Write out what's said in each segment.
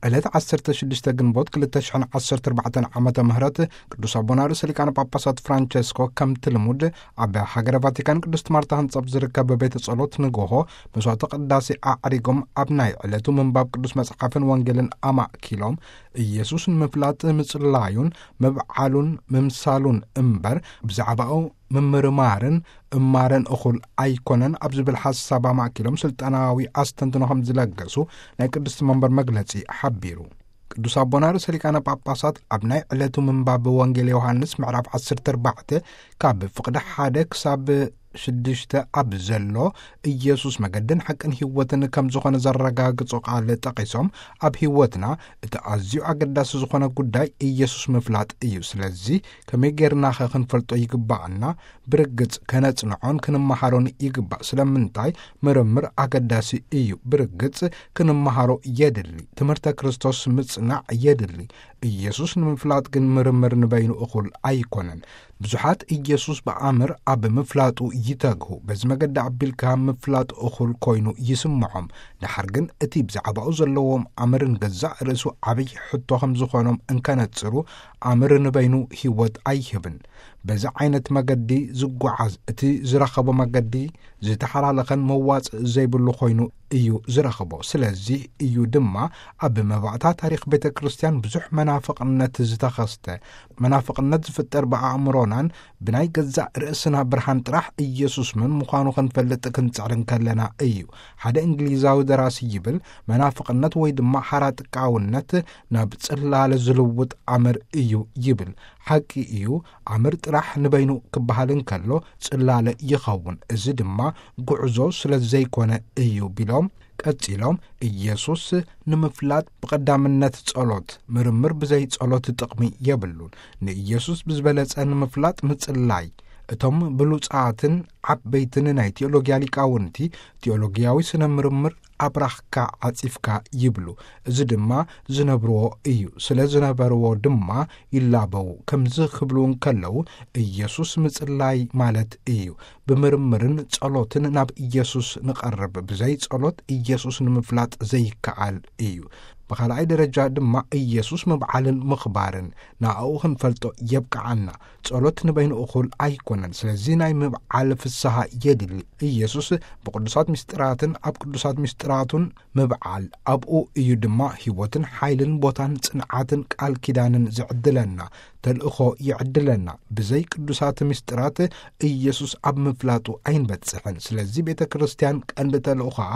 ዕለት ዓሰርተ ሽዱሽተ ግንቦት ክልተ ሽሕን ዓሰርተ ኣርባዕተን ዓመተ ምህረት ቅዱስ ኣቦና ርእሰ ሊቃነ ጳጳሳት ፍራንቸስኮ ከምቲ ልሙድ ኣብ ሃገረ ቫቲካን ቅድስት ማርታ ህንጻ ኣብ ዝርከብ ቤተ ጸሎት ንግሆ መስዋዕተ ቅዳሴ ኣዕሪጎም ኣብ ናይ ዕለቱ ምንባብ ቅዱስ መጽሓፍን ወንጌልን ኣማእኪሎም ኢየሱስ ንምፍላጥ ምጽላዩን ምብዓሉን ምምሳሉን እምበር ብዛዕባኡ ምምርማርን እማረን እኹል ኣይኮነን ኣብ ዝብል ሓሳብ ኣማእኪሎም ስልጣናዊ ኣስተንትኖ ከም ዝለገሱ ናይ ቅድስቲ መንበር መግለጺ ሓቢሩ። ቅዱስ ኣቦና ርእሰ ሊቃነ ጳጳሳት ኣብ ናይ ዕለቱ ምንባብ ወንጌል ዮሃንስ ምዕራፍ ዓሰርተ ኣርባዕተ ካብ ፍቕዲ ሓደ ክሳብ ሽዱሽተ ኣብ ዘሎ ኢየሱስ መገድን ሓቅን ህይወትን ከም ዝኾነ ዘረጋግጹ ቃል ጠቒሶም፣ ኣብ ህይወትና እቲ ኣዝዩ ኣገዳሲ ዝኾነ ጉዳይ ኢየሱስ ምፍላጥ እዩ። ስለዚ ከመይ ጌርናኸ ክንፈልጦ ይግባኣና? ብርግጽ ከነጽንዖን ክንመሃሮን ይግባእ። ስለምንታይ? ምርምር ኣገዳሲ እዩ። ብርግጽ ክንመሃሮ የድሊ። ትምህርተ ክርስቶስ ምጽናዕ የድሊ። ኢየሱስ ንምፍላጥ ግን ምርምር ንበይኑ እኹል ኣይኮነን። ብዙሓት ኢየሱስ ብኣምር ኣብ ምፍላጡ ይተግሁ። በዚ መገዲ ኣቢልካ ምፍላጥ እኹል ኮይኑ ይስምዖም። ደሓር ግን እቲ ብዛዕባኡ ዘለዎም ኣምርን ገዛእ ርእሱ ዓብዪ ሕቶ ከም ዝኾኖም እንከነጽሩ፣ ኣምር ንበይኑ ህይወት ኣይህብን። በዚ ዓይነት መገዲ ዝጓዓዝ እቲ ዝረኸቦ መገዲ ዝተሓላለኸን መዋጽእ ዘይብሉ ኮይኑ እዩ ዝረኽቦ። ስለዚ እዩ ድማ ኣብ መባእታ ታሪኽ ቤተ ክርስቲያን ብዙሕ መናፍቕነት ዝተኸስተ። መናፍቕነት ዝፍጠር ብኣእምሮናን ብናይ ገዛእ ርእስና ብርሃን ጥራሕ ኢየሱስ መን ምዃኑ ክንፈልጥ ክንጽዕር እንከለና እዩ። ሓደ እንግሊዛዊ ደራሲ ይብል፣ መናፍቕነት ወይ ድማ ሓራጥቃውነት ናብ ጽላለ ዝልውጥ ኣምር እዩ ይብል። ሓቂ እዩ፣ ኣምር ጥራሕ ንበይኑ ክበሃል እንከሎ ጽላለ ይኸውን። እዚ ድማ ጉዕዞ ስለ ዘይኮነ እዩ ቢሎም ቀጺሎም፣ ኢየሱስ ንምፍላጥ ብቐዳምነት ጸሎት፣ ምርምር ብዘይ ጸሎት ጥቕሚ የብሉን። ንኢየሱስ ብዝበለጸ ንምፍላጥ ምጽላይ። እቶም ብሉጻትን ዓበይትን ናይ ቴዎሎጊያ ሊቃውንቲ፣ ቴዎሎጊያዊ ስነ ምርምር ኣብራኽካ ዓጺፍካ ይብሉ። እዚ ድማ ዝነብርዎ እዩ። ስለ ዝነበርዎ ድማ ይላበዉ። ከምዚ ክብሉ እንከለዉ፣ ኢየሱስ ምጽላይ ማለት እዩ። ብምርምርን ጸሎትን ናብ ኢየሱስ ንቐርብ። ብዘይ ጸሎት ኢየሱስ ንምፍላጥ ዘይከኣል እዩ። ብኻልኣይ ደረጃ ድማ ኢየሱስ ምብዓልን ምኽባርን፣ ንኣኡ ክንፈልጦ የብቅዓና። ጸሎት ንበይኑ እኹል ኣይኮነን። ስለዚ ናይ ምብዓል ፍስሃ የድሊ። ኢየሱስ ብቅዱሳት ምስጢራትን ኣብ ቅዱሳት ምስጢራቱን ምብዓል፣ ኣብኡ እዩ ድማ ህይወትን ሓይልን ቦታን ጽንዓትን ቃል ኪዳንን ዝዕድለና፣ ተልእኾ ይዕድለና። ብዘይ ቅዱሳት ምስጢራት ኢየሱስ ኣብ ምፍላጡ ኣይንበጽሕን። ስለዚ ቤተ ክርስቲያን ቀንዲ ተልእኾኣ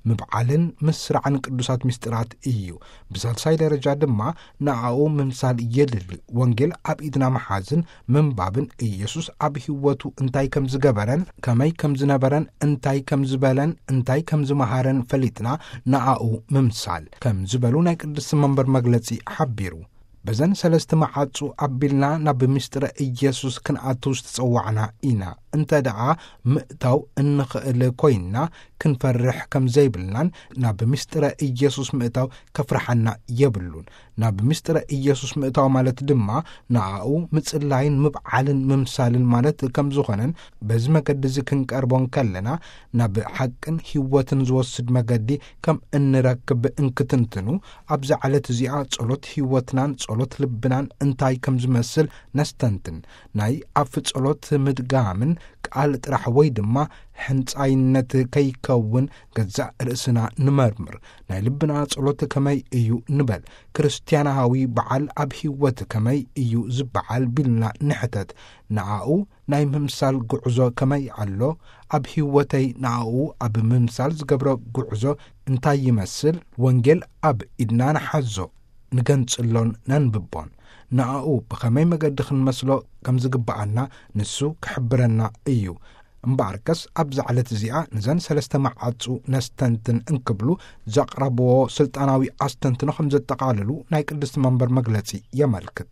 ምብዓልን ምስራዕን ቅዱሳት ምስጢራት እዩ። ብሳልሳይ ደረጃ ድማ ንኣኡ ምምሳል የድሊ። ወንጌል ኣብ ኢድና ምሓዝን ምንባብን፣ ኢየሱስ ኣብ ህይወቱ እንታይ ከም ዝገበረን ከመይ ከም ዝነበረን እንታይ ከም ዝበለን እንታይ ከም ዝመሃረን ፈሊጥና ንኣኡ ምምሳል ከም ዝበሉ ናይ ቅድስቲ መንበር መግለጺ ሓቢሩ። በዘን ሰለስተ መዓጹ ኣቢልና ናብ ምስጢረ ኢየሱስ ክንኣቱ ዝተጸዋዕና ኢና። እንተ ደኣ ምእታው እንኽእል ኮይንና ክንፈርሕ ከም ዘይብልናን ናብ ምስጢረ ኢየሱስ ምእታው ከፍርሓና የብሉን። ናብ ምስጢረ ኢየሱስ ምእታው ማለት ድማ ንኣኡ ምጽላይን ምብዓልን ምምሳልን ማለት ከም ዝኾነን በዚ መገዲ እዚ ክንቀርቦ እንከለና ናብ ሓቅን ህይወትን ዝወስድ መገዲ ከም እንረክብ እንክትንትኑ ኣብዛ ዕለት እዚኣ ጸሎት ህይወትናን ጸሎት ልብናን እንታይ ከም ዝመስል ነስተንትን። ናይ ኣፍ ጸሎት ምድጋምን ቃል ጥራሕ ወይ ድማ ሕንጻይነት ከይከውን ገዛእ ርእስና ንመርምር። ናይ ልብና ጸሎት ከመይ እዩ ንበል። ክርስትያናዊ በዓል ኣብ ህይወት ከመይ እዩ ዝበዓል ቢልና ንሕተት። ንኣኡ ናይ ምምሳል ጉዕዞ ከመይ ኣሎ? ኣብ ህይወተይ ንኣኡ ኣብ ምምሳል ዝገብሮ ጉዕዞ እንታይ ይመስል? ወንጌል ኣብ ኢድና ንሓዞ፣ ንገንጽሎን ነንብቦን። ንኣኡ ብኸመይ መገዲ ክንመስሎ ከም ዝግብኣና ንሱ ክሕብረና እዩ። እምበኣርከስ ኣብዛ ዕለት እዚኣ ነዘን ሰለስተ መዓጹ ነስተንትን እንክብሉ ዘቕረብዎ ስልጣናዊ ኣስተንትኖ ከም ዘጠቓልሉ ናይ ቅድስቲ መንበር መግለጺ የመልክት።